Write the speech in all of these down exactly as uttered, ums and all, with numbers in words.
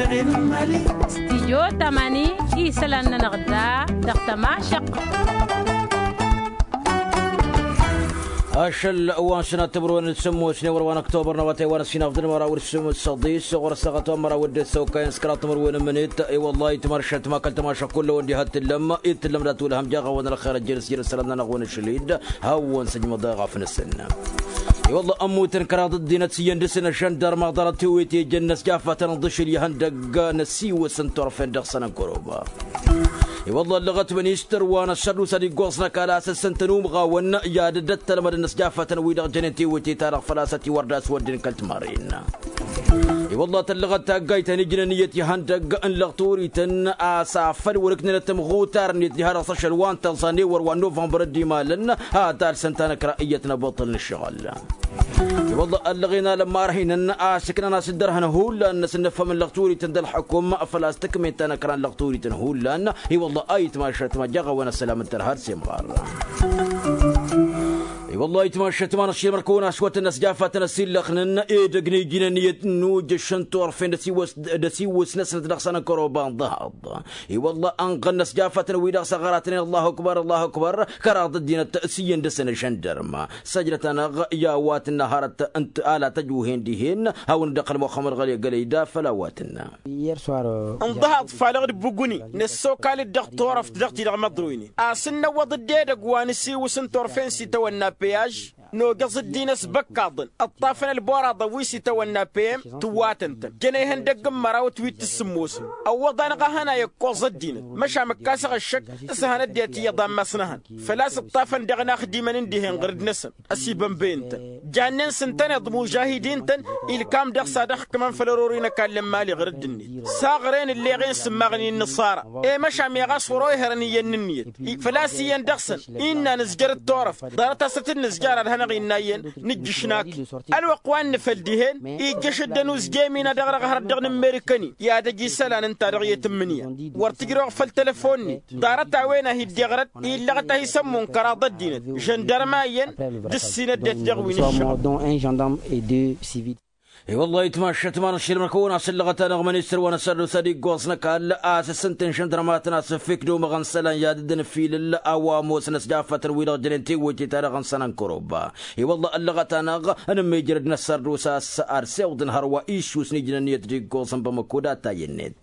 Stijyo tamani isălan-nănăɣ da dăɣ-tămašăq. Ašăl wa n-sănat timǝrwen d-sǝmmos n-ewăr wa n-ăktobăr n-awătay wa n-ăsinaf d-ănmăraw d-sǝmmos săḍis ɣur-ăssaɣăt wa n-măraw d-ăssăwkay n-săkra timǝrwen n-imǝnit. I-wălla-hi timaršăt ma kăl-tămašăk kull-ăwăn diha t-tǝllăm i t-tǝllăm dat-wăl hăm jaɣ-awăn ălxer ăjjănăs jer-isălan-nănăɣ-wen ašăl-dd. Hawăn-săjmăḍ eɣaf-năsăn. I-wălla ămmutăn kăraḍ ăddinăt s-iyyăn dăr-săn ašăndăr maḍarăt tiwǝyt i-ijăn inăsjafătăn ǝḍǝšǝl i-ihăndăgg n-asiwǝs n-turfen dăɣ-săn n-kăroba. I-wălla ăllăɣăt ministăr wa n-ăssărdus ad-iggoẓ n-ăkall a-s ǝssǝntăn umɣawăn i-ad-dd-ăttălmădăn inăsjafătăn wi-dăɣ jănen tiwǝyt-i-ta-dăɣ făl-a-s ătiwăr d-aswădden kăl-timarren. I-wălla tăllăɣăt taggayt ta n-ijnăn iyyăt ihăndăgg n-lăɣturităn a-s afăl wăr-ǝknǝnăt tămɣutar-net diha dăɣ-s ašăl wa n-tăẓa n-ewăr wa n-novămbăr dd-imalăn. Ad-alsăn tanăkra iyyăt n-abăṭṭăl n-ǝššăɣǝl. I-wălla ăllăɣen alămmarhinăn a-s ǝknan-as dd-ărhăn hullan-năsăn n-ǝffăm n-lăɣturităn d-ălḥăkum făl-a-s tǝkmen tanăkra n-lăɣturităn hullan. I-wălla a itmašăt ma jaɣ-awăn ăssălam n-tărha d-semɣar. I-wălla a itmašăt ma n-ašilmăr kăwăn-aswătăn ăsjafatăn ăsillăxnăn edăgg n-ijinăn iyyăt n-ujǝš n-turfen d-asiwǝs-năsnăt dăɣ-săn n-kăroba n-ḍahaḍ. I-wălla ănɣăn inăsjafatăn wi-dăɣ s-aɣăratnen allahu akbar allahu akbar. Kăraḍ ăddinăt s-iyyăn dăr-săn ašăndărma săjdăt-anăɣ i-a-wa tǝnna hărăt. Ala tăjwǝhen dihen hawăn-dd-iqqăl muxămmăd ɣăli gălăyda făll-a-wa tǝnna. N-ḍahaḍ falăɣ-dd buguni năssokal-dd dăɣ-turăft dăɣ-ti-dăɣ măḍroynen a-s ǝnnăwwăḍ-dd edăgg wa n-asiwǝs n-turfen s-itawănna peyaj. Nogăẓ ăddinăs băkkaḍăn ǝṭṭafăn ălboraḍăn wi s-itawănna peyem tǝwwatăn-tăn jăn ehăndăgg n-mărawăt wi t-sǝmmosăn. Ăwwăḍ-anăɣ a hănay ǝkkoẓ ăddinăt măšan mǝkkasăɣ ăššăk s-hăn ăddinăt iyyăḍ ammas n-ehăn făl-a-s ǝṭṭafăn daɣ inaxdimăn n-dihen ɣǝrǝd-năsăn. Ăsibănbăyăn-tăn jannen s-ǝntăneḍ mužahidin-tăn ilkam dăɣ-s ad-ăxkǝmăn făll-ărori n-ăkall n-imali ɣǝrǝd-net. S-aɣren ǝlleɣen s-ǝmmaɣnen n-inǝṣara i-măšan meɣ a-s wăr-oherăn iyyăn n-ǝnniyăt. Făl-a-s iyyăn dăɣ-săn innă nǝzjăr d-turăft ḍarăt-as a t-dd-nǝzjăr ad-hanăɣ-innă iyyăn nǝjjǝš n-akǝy. Ălwăqq wa n-nǝfăl dihen ijjăš dd-ănuzjemina dăɣ-dăɣ hărăt dăɣ-nǝmmerǝkăn-in i-ad-ăj isălan ǝnta-dăɣ i-tǝmmǝnǝya. Wăr tǝjrăwăɣ făll-telăfon-net ḍarăt a-wen a hi-dd-iɣrăt illăɣăt a hi-sămmun kăraḍ ăddinăt žăndărma iyyăn d-ǝssin ăddinăt dăɣ-wi n-ǝššăɣǝl. I-wăllah itmašăt ma n-ašilmăr-kăwăn a-s ǝllăɣăt-anăɣ ministăr wa n-asărdus ad-iggoẓ n-ăkall a-s ǝssǝntăn žăndărmatăn a-s ǝffek d-omăɣăn isălan i-ad-dd-ănfilǝl a-wa ămoosăn ăsjafătăn wi-dăɣ jănen tewwăyt-i-ta-dăɣ n-sănăn kăroba. I-wăllah ăllăɣăt-anăɣ ănămmijrăd n-asărdus a-s ad-sewḍăn hărwa iššus n-ijnăn iyyăt d-iggoẓ n-bamăko d-attayăn-net.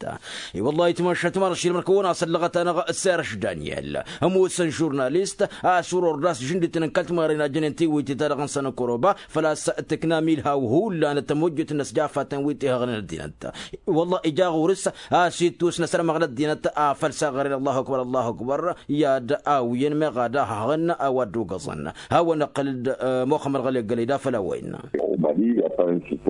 I-wăllah itmašăt ma n-ašilmăr-kăwăn a-s ăllăɣăt-anăɣ s-erăš daniel ămoosăn žurnalist a-s wăr-ordas žǝndităn n-kăl-timarren a jănen tewwăyt-i-ta-dăɣ n-sănăn kăroba. Făl-a-s tǝknam ilhaw hullan d-tămojjăt n-inăsjafatăn wi t-ihăɣnen ăddinăt. I-wăllah ija ɣur-s a-s ittus n-asărmăɣ n-ăddinăt afăl s-aɣăren allahu akbar allahu akbar. I-ad-awǝyăn meɣ ad-ahăɣăn a-wa dd-ogăẓăn hawăn-iqqăl-dd muxămmăd ɣăli ăggălăyda făll-a-wa innă.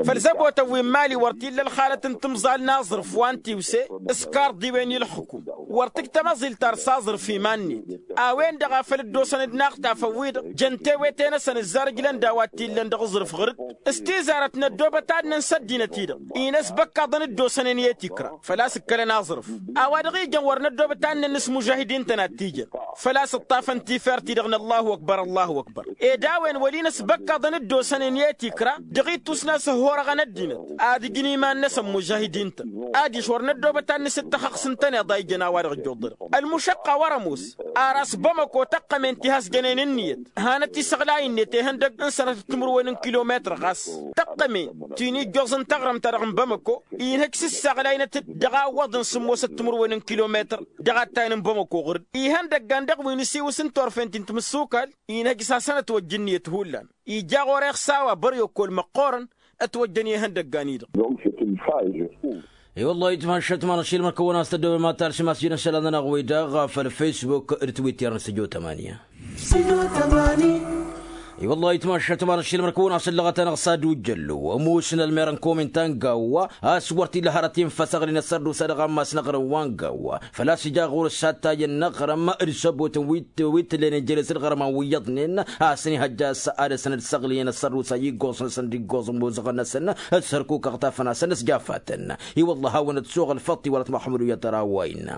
Făll-zăbotăn wi n-imali wăr t-illa ălxalăt n-timẓal n-aẓrǝf wa n-tiwse s-karḍiwen i-ǝlxǝkum. Wăr tǝj tamăẓilt ar s-aẓrǝf iman-net. A-wen-dăɣ a făl dd-osăn d-inaxtafăn-wi-dăɣ jăn tewete-năsăn ǝzzar ǝjlăn d-a-wa t-illăn dăɣ-aẓrǝf ɣǝr-dd. S-tizarăt n-ăddoobăt ad-nǝns ăddinăt-i-dăɣ-i n-ăsbăkkaḍăn dd-osănen i-tikra făl-a-s ǝkkălăn aẓrǝf. A-wa dăɣ-ijăn wăr năddoobăt ad-nǝnna s-mužahidin-tăn ad-t-ijăn făl-a-s ǝṭṭafăn tifert-i-dăɣ n-allahu akbar allahu akbar. Ed a-wen wăl' i-năsbăkkaḍăn dd-osănen i-tikra dăɣ-ittus n-asǝhhorăɣăn ăddinăt ad-ǝjǝn iman-năsăn mužahidin-tăn. Adiš wăr năddoobăt ad-nǝsǝttăxăɣ s-ǝntăneḍ a ijăn a-wa-dăɣ ǝjjuḍărăɣ ălmušăqqa wăr-ămoos. Ar a-s bamăko tăqqămen ti has-jănen ǝnniyăt hanăt-isăɣlay-net ihăndăg n-sănătăt timǝrwen n-kilometăr ɣas tăqqămen ti n-ijjoẓ n-taɣrǝmt-ta-dăɣ n-bamăko. Inhăj s-ǝssaɣlaynăt-dd dăɣ-awwăḍ n-sǝmmosăt timǝrwen n-kilometăr dăɣ-attayăn n-bamăko ɣur-dd. Ihăndăggan dăɣ-wi n-asiwǝs n-turfen ti n-timǝssukal inhăj s-hasăn-ătwăjj ǝnniyăt hullan. Ija ɣur-e ăxsawa băryokol măqqoorăn ătwăjjăn i-ihăndăggan-i-dăɣ. I-wăllah itmašăt ma n-ašilmăr-kăwăn a-s tăddoobem ad-talsem a-s jăn isălan-nănăɣ-wi-dăɣ făll-facebook d-twitter n-studio tamanya. I-wăllah itmašăt ma n-ašilmăr-kăwăn a-s ǝllăɣăt-anăɣ s-ad-ujjăllu ămoosăn ălmer n-kominta n-gawwa a-s wăr t-illa hărăt infăsăɣlin ăssărdusa dăɣ-ammas n-aɣrǝm wa n-gawwa. Făl-a-s ija ɣur-s attayăn n-aɣrǝm d-săbotăn wi t-tǝllen ijăles d-iɣrǝman wi iyyăḍnen a-s ănihăjja a-s ad-dăr-săn dd-săɣlǝyăn ăssărdusa iggoẓ-năsăn d-iggoẓ n-imozăɣăn-năsăn. S-hărkuk ăɣtafăn-asăn s-jafatăn. I-wăllah hawăn-ătsuɣ ălfăṭṭ i-wăla t-măxmud u-iyyăt ăra a-wa innă.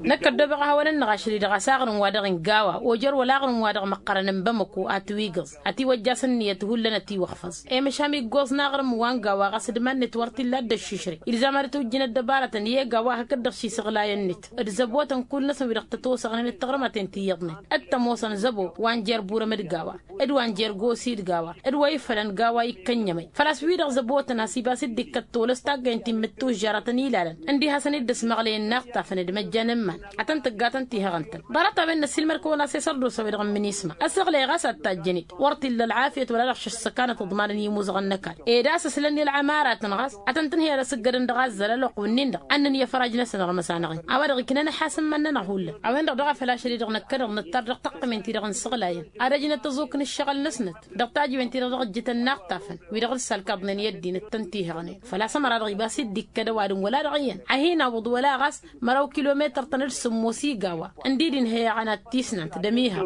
Năkk ăddoobăɣ ad-hawăn-ănnăɣ ašăl-i-dăɣ a-s aɣrǝm-wa-dăɣ n-gawa ojăr wăla aɣrǝm-wa-dăɣ măqqărăn n-bamăko a tǝwig. ǝggǝẓ ătiwăjjas ǝnniyăt hullan ătiwăxfăẓ. Emăšam iggoẓ n-aɣrǝm wa n-gawa ɣas d-iman-net wăr t-illa a dd-ăššǝšrǝy ilzam ad-dd-tujjǝn ăddăbarătăn i-egawa hakd-dăɣ šisăɣlayăn-net d-zăbotăn kull-năsăn wi-dăɣ tătosăɣnen d-taɣrǝmăten ti iyyăḍnen d-tămoosăn zăbo wa n-jer-burăm d-gawa d-wa n-jer-gosi d-gawa d-wa ifălăn gawa ikkănyămăy făl-a-s wi-dăɣ zăbotăn a-s ibas dd-ikkăt tolăs taggăyăn ti n-imǝttužžarătăn ilalăn ǝndi hasăn-dd-ăsmăɣlăyăn n-aɣtafăn d-imăjjan n-iman ad-tăn-tǝggatăn tihăɣăn-tăn. Ḍarăt-a-wen năssiilmăd-kăwăn a-s i-sărdusa-wi-dăɣ n-minisma ăsăɣlăy ɣas ad-tajjăn-dd wăr t-illa ălɣafyăt wăla-dăɣ šăš s-ăkanăt iḍmanăn i-imuzăɣăn n-ăkall ed a-s ǝslăn i-ălɣamarătăn ɣas ad-tăn-tǝnhǝyăd asǝggădăn dăɣ-azzăl ălwăqq wǝnnin-dăɣ ad-nǝnǝy afăraj-năsăn ărmăs-anăɣ-in a-wa dăɣ-iknăn ăḥasǝmmăn-nănăɣ hullan. A-wen-dăɣ daɣ a făl ašăl-i-dăɣ năkkăneḍ năttar dăɣ-taqqǝmen-ti-dăɣ n-isăɣlayăn ad-ăjnăt ăẓuk n-ǝššăɣǝl-năsnăt dăɣ-tajǝwen-ti-dăɣ dăɣ-ǝjjǝtăn n-aɣtafăn wi-dăɣ dd-salkaḍnen i-ăddinăt tăn-tihăɣnen. Făl-a-s ămăra-dăɣ ibas-dd-ikkăd ăwadǝm wăla dăɣ-iyyăn ad-hin-awǝḍ wăla ɣas măraw kilometăr-tăn d-sǝmmos i-gawa ǝndi d-inhăy aɣăna d-tisnant d-ămihăɣ.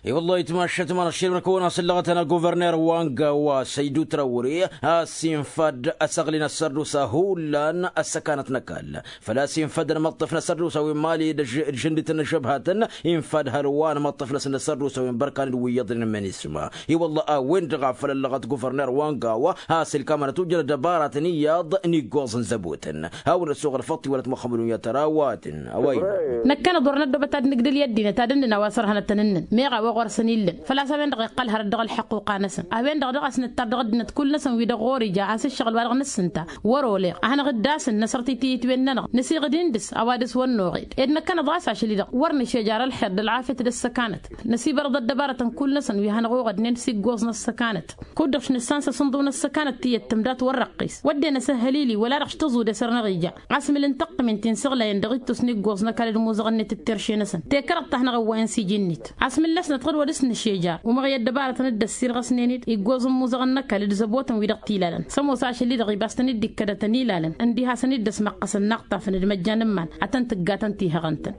I-wăllah itmašat ma n-aššilmăn kăwăn-asǝllăɣăt-anăɣ guverner wa n-gawa săydu trawre a-s infa-dd ăsăɣli n-ăssărdusa hullan ăssăkanăt n-ăkall. Făl-a-s infăd ănmăṭṭăf n-ăssărdusa wi n-mali d-ažžǝndităn n-ažăbhatăn infăd hărwa ănmăṭṭăf-năsăn n-ăssărdusa wi n-bărkan d-wi iyyăḍnen n-minisma. I-wălla a-wen-dăɣ a făl ăllăɣăt guverner wa n-gawa a-s ilkamăn ad-tujjăn ăddăbaratăn iyyăḍ n-iggoẓ n-zăbotăn. Hawăn-ăssoɣăl făṭṭ iwălăt muxămmăd unyăt tăra a-wa tăn-awăyna. Năkkăneḍ wăr năddobăt ad-nǝgdǝl i-ăddinăt ad-ǝnnǝn a-wa sărhănătăn ǝnnǝn meɣ a-wa ɣur-săn illăn. Făl-a-s a-wen-dăɣ iqqăl hărăt dăɣ-ălḥăqquqa-năsăn a-wen-dăɣ daɣ a-s nǝttar dăɣ-ăddinăt kull-năsăn wi-dăɣ ɣur-ija a-s ǝššăɣǝl wa dăɣ-nǝssǝnta wăr-oleɣ ad-hanăɣ-dd-asǝn năsărtitǝyǝt-wen-nănăɣ năsiɣǝd-in dăɣ-s a-wa dăɣ-s wăr noɣed ed năkkăneḍ ɣas ašăl-i-dăɣ wăr nǝšejar ălxer d-ălɣafyăt d-ăssăkanăt. Năsibărăḍ ăddăbarătăn kull-năsăn wi hanăɣ-oɣădnen s-iggoẓ n-ăssăkanăt. Kud-dăɣ š-nǝssansa s-ǝnḍǝw n-ăssăkanăt tiyyăt tǝmdat wăr răqqis wădden asǝhhălili wăla-dăɣ š-tăẓudes ărnăɣ ija. Asmǝl n-taqqǝmen ti n-săɣlayăn dăɣ-ittus n-iggoẓ n-ăkall d-imuzăɣăn-net d-terše-năsăn tekrăḍt-ta hanăɣ-ăwwayăn s-iji-net. Asmǝl-năsnăt ɣǝd-wăd s-nǝšeja umăɣ i-ăddăbarătăn dd-ăssirɣăsnen-dd iggoẓ n-imuzăɣăn n-ăkall d-zăbotăn wi-dăɣ t-ilalăn s-ămoos ašăl-i-dăɣ ibas tăn-dd-ikkădătăn ilalăn ǝndiha a-s ăniddăsmăqqăsăn n-aɣtafăn d-măjjan n-iman. Ad-tăn-tǝggatăn tihăɣăn-tăn.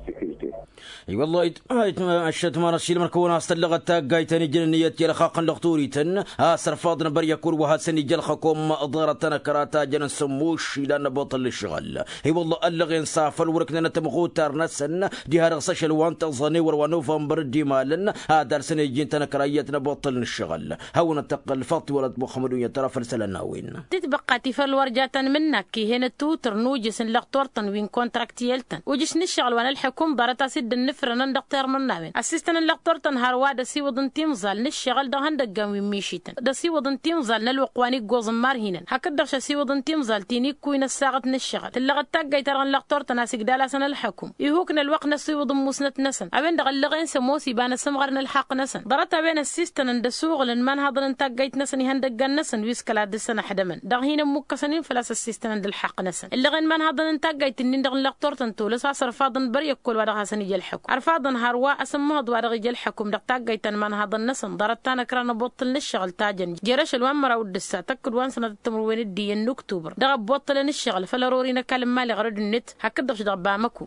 I-wăllah ayǝtmăššăt ma n-ašilmăn kăwăn-as-tăllăɣăt taggayt ta n-ijăn ǝnniyăt i-ălxaqq n-lăxturităn a-s ărfaḍăn băryăkul wa hasăn-ija ălxăkom ḍarăt tanăkra ta jăn n-sămmuš ilan n-abuṭṭăl n-ǝššăɣǝl. I-wăllah ăllăɣen s-afăl wăr-ǝknănăt ămɣutar-năsăn diha dăɣ-s ašăl wa n-tăẓẓănewăr wa n-novămbăr d-imalăn ad-alsăn iji n-tanăkra iyyăt n-abuṭṭăl n-ǝššăɣǝl. Hawăn-ăttăqqǝl făṭṭ iwălăt muxămmăd unyăt tăra făll-isălan n-a-wen. Tǝtbăqqa ti făll-wăr ja tăn-mǝnnak ih'-en ăttuutǝr n-ujǝs n-lăxturtăn wi n-kontraktiyăl-tăn ujǝš n-ǝššăɣǝl wa n-ălḥǝkum ḍarăt a-s dd-ǝnnǝfrănăn dăɣ-termǝnnawen ăssistăn n-lăxturtăn hărwa d-ăsiwǝḍ n-timẓal n-ǝššăɣǝl dăɣ-ihăndăggan wi n-mišităn d-ăsiwǝḍ n-timẓal n-ălwăqq wa n-iggoẓ n-imarhinăn hakd-dăɣ šăsiwǝḍ n-timẓal ti n-ikkuy n-ăssaɣăt n-ǝššăɣǝl tǝllăɣăt taggayt-ta-dăɣ n-lăxturtăn a-s igdal-asăn ălḥǝkum. Ihuk n-ălwăqq n-ăsiwǝḍ n-musnăt-năsăn a-wen-dăɣ ăllăɣen s-ămoos iba n-asǝmɣăr n-ălḥaqq-năsăn ḍarăt-a-wen ăssistănăn d-ăsuɣǝlăn imanhaḍăn n-taggayt-năsăn ihăndăggan-năsăn wi s-kăla ad-dăr-săn ăḥdămăn dăɣ-hin-ămmukkăsăn-in făl-a-s ăssistănăn d-ălḥaqq-năsăn. Ǝllăɣen imanhaḍăn n-taggayt-nin-dăɣ n-lăxturtăn tolăs a-s ărfaḍăn băryăkkol wa dăɣ-hasăn-ija ălḥăkum ărfaḍăn hărwa asǝmmăhăḍ wa dăɣ-ija ălḥăkum dăɣ-taggayt ta n-imanhaḍăn-năsăn ḍarăt tanăkra n-abăṭṭăl n-ǝššăɣǝl ta jăn jer-ašăl wa n-măraw d-ǝssa tăkkǝd wa n-sănatăt timǝrwen d-iyyăn n-uktubăr dăɣ-abăṭṭălăn ǝššăɣǝl făll-ărori n-ăkall n-imali ɣărăd-net hakd-dăɣ-š dăɣ-bamăko.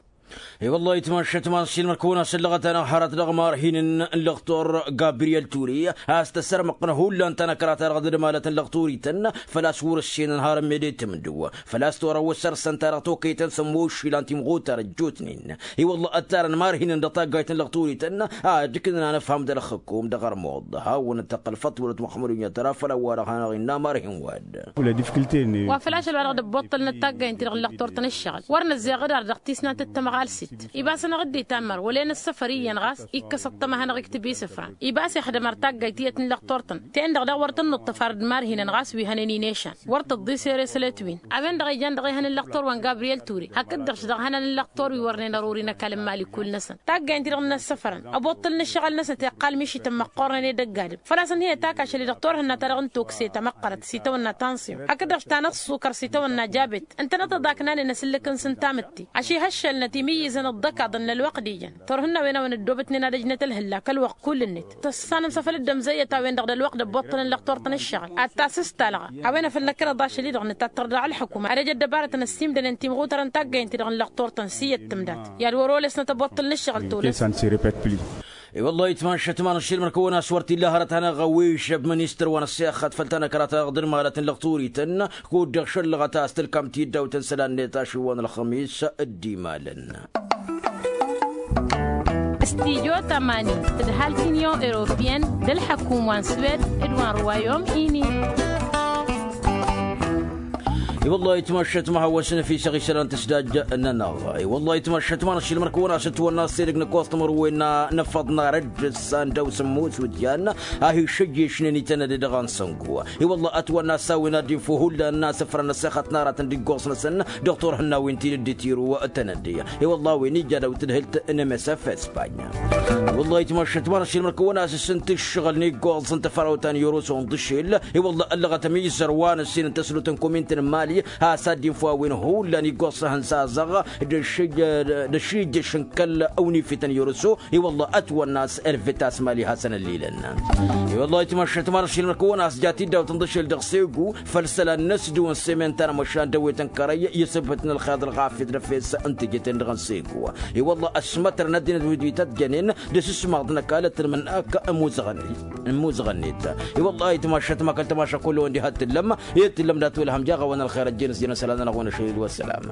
I-wăllah itmašat ma n-ašilmăn kăwăn-asǝllăɣăt-anăɣ hărăt dăɣ-imarhin n-lăxtur gabriyel ture a-s tăsărmăɣ-tăn hullan tanăkra-ta-dăɣ d-ădmalăt n-lăxturităn făl-a-s wăr-ǝssenăn har ămmed i-tǝmdǝw făl-a-s torăw ăssărsăn-ta-dăɣ tokăytăn s-ămmušilăn timɣutar ăjjootnen. I-wăllah ăttarăn imarhinăn dăɣ-taggayt n-lăxturităn ad-ǝknăn anăfham d-ălxǝkum dăɣ-ărmuḍ hawăn-dd-tăqqăl făṭṭ wălăt muxămmăd unyăt tăra făll-ăwwarăɣ hanăɣ-innă imarhin wa-dd. Wa făl ašăl wa dăɣ-dd-ăbboṭṭălnăt taggayăn-ti-dăɣ n-lăxturtăn ǝššăɣǝl wăr năzzeɣ dd-ar dăɣ-tisnant d-tamɣalsit. Ibas-anăɣ dd-itammăr wăla e-năssăfăr iyyăn ɣas ikkăs ăṭṭăma hanăɣ-iktǝb isǝfran ibas ixdăm ar taggayt tiyyăt n-lăxturtăn. Ten-dăɣ daɣ wăr tăn-nuṭṭăf ar dd-marhinăn ɣas wi hănen inešan wăr tǝḍḍi s-ere s-ălet win. A-wen-dăɣ ijan dăɣ-ehăn n-lăxtur wa n-gabriyel ture hakd-dăɣ-š dăɣ-hănan n-lăxtur wi wărnen ăruri n-ăkall n-imali kull-năsăn. Taggayăn-ti-dăɣ n-inăssăfărăn ăbuṭṭăl n-ǝššăɣǝl-năsnăt iqqal mišităn măqqornen edăgg-adǝm făl-a-s ănhăyăt ak ašăl-i-dăɣ turhǝnna-ta-dăɣ n-tokse tamăqqărăt s-itawănna tansyon hakd-dăɣ-š ta n-ăṣṣukăr s-itawănna jabet. Ǝntănăt ăḍaknanen asǝllǝk-nǝsăn tamǝtte ašihăššălnăt imǝyyǝzăn ăḍḍăkaḍăn n-ălwăqq d-ijăn turhǝnna a-wen a-wen ăddoobătnen ad-ăjnăt ălhǝllak ălwăqq kull-net. Tăssănăm s-afăl dd-ămzăyyăt a-wen-dăɣ d-ălwăqq d-ăbboṭṭălăn lăxturtăn ǝššăɣǝl ad-tasǝstalăɣ. A-wen a făl năkkăneḍ ašăl-i-dăɣ nǝtattăr dăɣ-ălḥǝkum ad-ăj ăddăbarătăn ăssiimdănen timɣutărăn taggăyăn-ti-dăɣ n-lăxturtăn s-iyyăt tǝmdat i-ad-wăr-olesnăt ăbboṭṭăl n-ǝššăɣǝl tolăs. I-wăllah itmašat ma n-ašilmăn kăwăn-as wăr t-illa hărăt-anăɣ ăwwešăb ministăr wa n-ăssexăt făll-tanăkra-ta-dăɣ d-ădmalăt n-lăxturităn kud-dăɣ šăllăɣăt a-s tǝlkam tiddawt n-isălan-net ašǝw wa n-ălxămis. D-imalăn. Tijo tămani tǝdhal tinyon europiyăn d-ălḥăkum wa n-swed d-wa n-ruwayom ini. I-wăllah ayǝtmašat ma hawăsăn fi săɣ-isălan tǝsdaj-nănăɣ. I-wăllah ayǝtmašat ma n-ašilmăr kăwăn-asǝtwănna s-edăgg n-ăkkoẓ tămărwen n-afăḍ n-arădd s-anda osămmos wǝdyan a hi-išăjješnen itănăde dăɣ-ansăngu. I-wăllah ătwănna s-a-wen ad-dd-info hullan n-asǝfrăn ăssexăt n-aratăn d-iggoẓ-năsăn dăɣ-turhǝnna wi n-tidǝddit iru tănădde. I-wăllah a-wen ija dawt tǝdhǝlt n-emesăf espanya. I-wăllah ayǝtmašat ma n-ašilmăr kăwăn-asǝsǝnt ǝššăɣǝl n-iggoẓ n-tăfărawt ta n-iroso n-dăšel. I-wăllah ăllăɣăt ămizăr wa n-ǝssin n-tăslot n-komint n-mali has-ad-dd-info a-wen hullan iggoẓ s-ehăn s-azăɣ d-ašijjăš n-kăl-awnifităn iroso. I-wăllah ătwănna s-elvet a-s mali hasăn-ăllilăn. I-wăllah ayǝtmašat ma n-ašilmăr kăwăn-asǝjat idawt n-dăšel dăɣ-segu făll-isălan n-asdǝw n-semen ta n-amăšan d-ewet n-kărăy i-asǝbhǝt n-ălxeḍ ălɣafyăt d-efes n-tejăten dăɣ-n segu. I-wălla ăsmătrăn ăddinăt wi-dăɣ ităjjănen d-asǝsmaḍ n-ăkall ăttălmăn ak ămmuzăɣăn-net. I-wălla ayǝtmašat ma kăl-tămaša kull-wen diha t-tǝllăm i-tǝllăm dat-wăl hamjaɣ-awăn ălxer ăjjeen s-jăn isălan-nănăɣ wen-ašăl d-wăssalam.